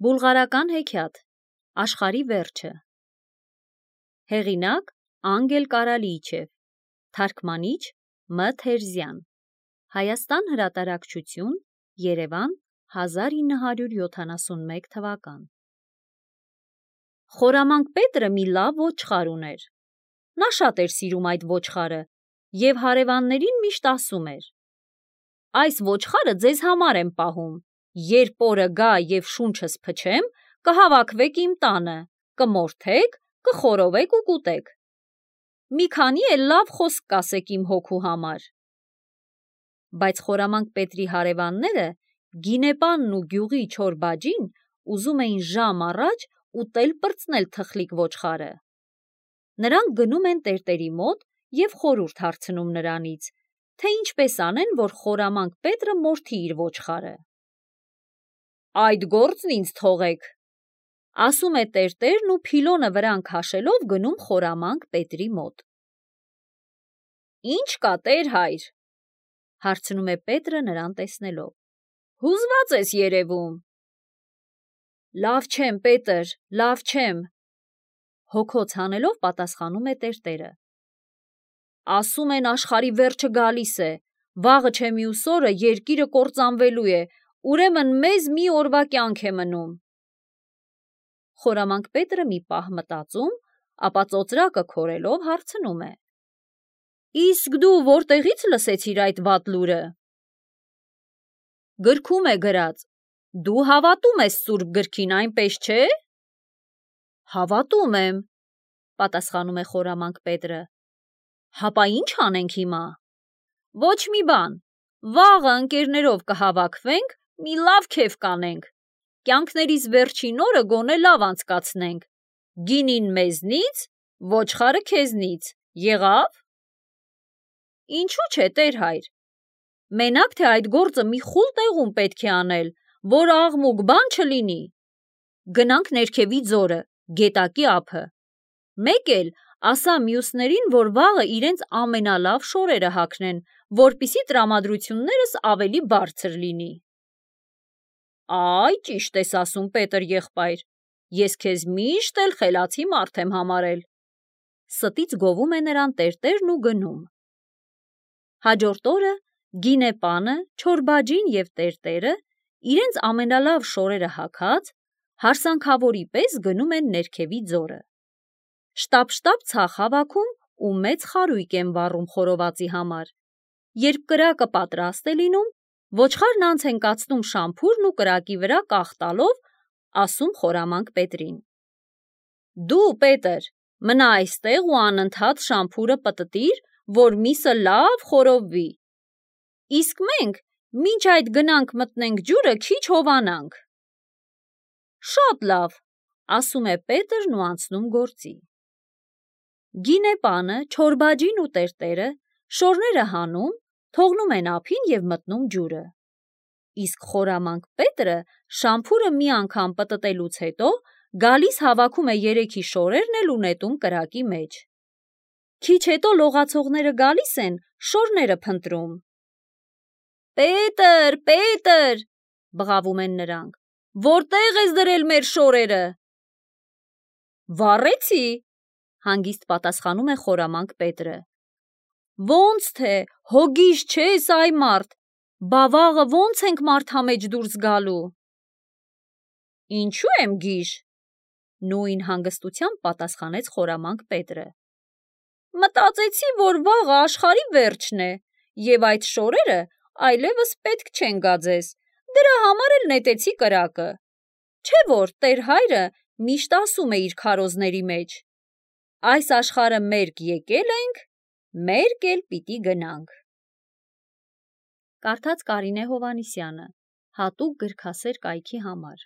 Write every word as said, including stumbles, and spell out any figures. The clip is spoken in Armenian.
Բուլղարական հեքիաթ Աշխարհի վերջը Հեղինակ Անգել Կարալիչև Թարգմանիչ Մ. Թերզյան Հայաստան հրատարակչություն Երևան հազար ինը հարյուր յոթանասունմեկ թվական Խորամանկ Պետրը մի լավ ոչխար ուներ։ Նա շատ էր սիրում այդ ոչխարը և հարևաններին միշտ ասում էր. «Այս ոչխարը ձեզ համար եմ պահում, երբ օրը գա և շունչս փչեմ, կհավաքվեք իմ տանը, կմորթեք, կխորովեք ու կուտեք։ Մի քանի էլ լավ խոսք կասեք իմ հոգու համար»։ Բայց Խորամանկ Պետրի հարևանները, Գինեպանն ու գյուղի չոր բաջին, ուզում էին ժամ առաջ ուտել-պրծնել թխլիկ ոչխարը։ Նրանք գնում են տերտերի մոտ և խորհուրդ հարցնում նրանից, թե ինչպես անեն, որ Խորամանկ Պետրը մորթի իր ոչխարը։ «Այդ գործն ինձ թողեք», ասում է տերտերն ու փիլոնը վրան քաշելով գնում Խորամանկ Պետրի մոտ։ «Ի՞նչ կա, տեր-հայր», հարցնում է Պետրը նրան տեսնելով։ «Հուզված ես երևում»։ «Լավ չեմ, Պետր, լավ չեմ», հոգոց հանելով պատասխանում է տերտերը։ «Ասում են աշխարհի վերջը գալիս է, վաղը չէ մյուս օրը երկիրը կործանվելու է, ուրեմն մեզ մի օրվա կյանք է մնում»։ Խորամանկ Պետրը մի պահ մտածում, ապա ծոծրակը քորելով հարցնում է. «Իսկ դու որտեղից լսեցիր այդ վատ լուրը»։ «Գրքում է գրած, դու հավատում ես Սուրբ գրքին, այնպես չէ»։ «Հավատում եմ», պատասխանում է Խորամանկ Պետրը։ «Հապա ի՞նչ անենք հիմա»։ «Ոչ մի բան, վաղը ընկերներով կհավաքվենք, մի լավ քեֆ կանենք, կյանքներիս վերջին օրը գոնե լավ անցկացնենք, գինին մեզնից, ոչխարը քեզնից, եղա՞վ»։ «Ինչու՞ չէ, տեր-հայր, մենակ թե այդ գործը մի խուլ տեղում պետք է անել, որ աղմուկ բան չլինի։ Գնանք ներքևի ձորը, գետակի ափը, մեկ էլ ասա մյուսներին, որ վաղը իրենց ամենալավ շորերը հագնեն, որպեսզի տրամադրություններս ավելի բարձր լինի»։ «Այ, ճիշտ ես ասում, Պետր եղբայր, ես քեզ միշտ էլ խելացի մարդ եմ համարել», ստից գովում է նրան տերտերն ու գնում։ Հաջորդ օրը Գինեպանը, չոր բաջին և տերտերը, իրենց ամենալավ շորերը հագած, հարսանքավորի պես գնում են ներքևի ձորը։ Շտապ-շտապ ցախ հավաքում ու մեծ խարույկ են վառում խորովածի համար։ Երբ կրակը պատրաստ է լինում, ոչխարն անց են կացնում շամփուրն ու կրակի վրա կախ տալով, ասում Խորամանկ Պետրին. «Դու, Պետր, մնա այստեղ ու անընդհատ շամփուրը պտտիր, որ միսը լավ խորովվի։ Իսկ մենք մինչ այդ գնանք մտնենք ջուրը քիչ հովանանք»։ «Շատ լավ», ասում է Պետրն ու անցնում գործի։ Գինեպանը, չոր բաջին ու տերտերը շորները հանում, թողնում են ափին և մտնում ջուրը։ Իսկ Խորամանկ Պետրը շամփուրը մի անգամ պտտելուց հետո գալիս հավաքում է երեքի շորերն էլ ու նետում կրակի մեջ։ Քիչ հետո լողացողները գալիս են, շորները փնտրում։ «Պետր, Պետր», բղավում են նրանք, «որտե՞ղ ես դրել մեր շորերը»։ «Վառեցի», հանգիստ պատասխանում է Խորամանկ Պետրը։ «Ոնց թե, հո գիժ չես, այ մարդ, բա վաղը ոնց ենք մարդամեջ դուրս գալու»։ «Ինչու եմ գիժ», նույն հանգստությամբ պատասխանեց Խորամանկ Պետրը։ «Մտածեցի, որ վաղը աշխարհի վերջն է, և այդ շորերը այլևս պետք չեն գա ձեզ, դրա համար էլ նետեցի կրակը։ Չէ՞ որ տեր-հայրը միշտ ասում է իր քարոզների մեջ. «Այս աշխարհը մերկ եկել ենք, մերկ էլ պիտի գնանք»։ Կարդաց Կարինե Հովհաննիսյանը, հատուկ գրքասեր կայքի համար։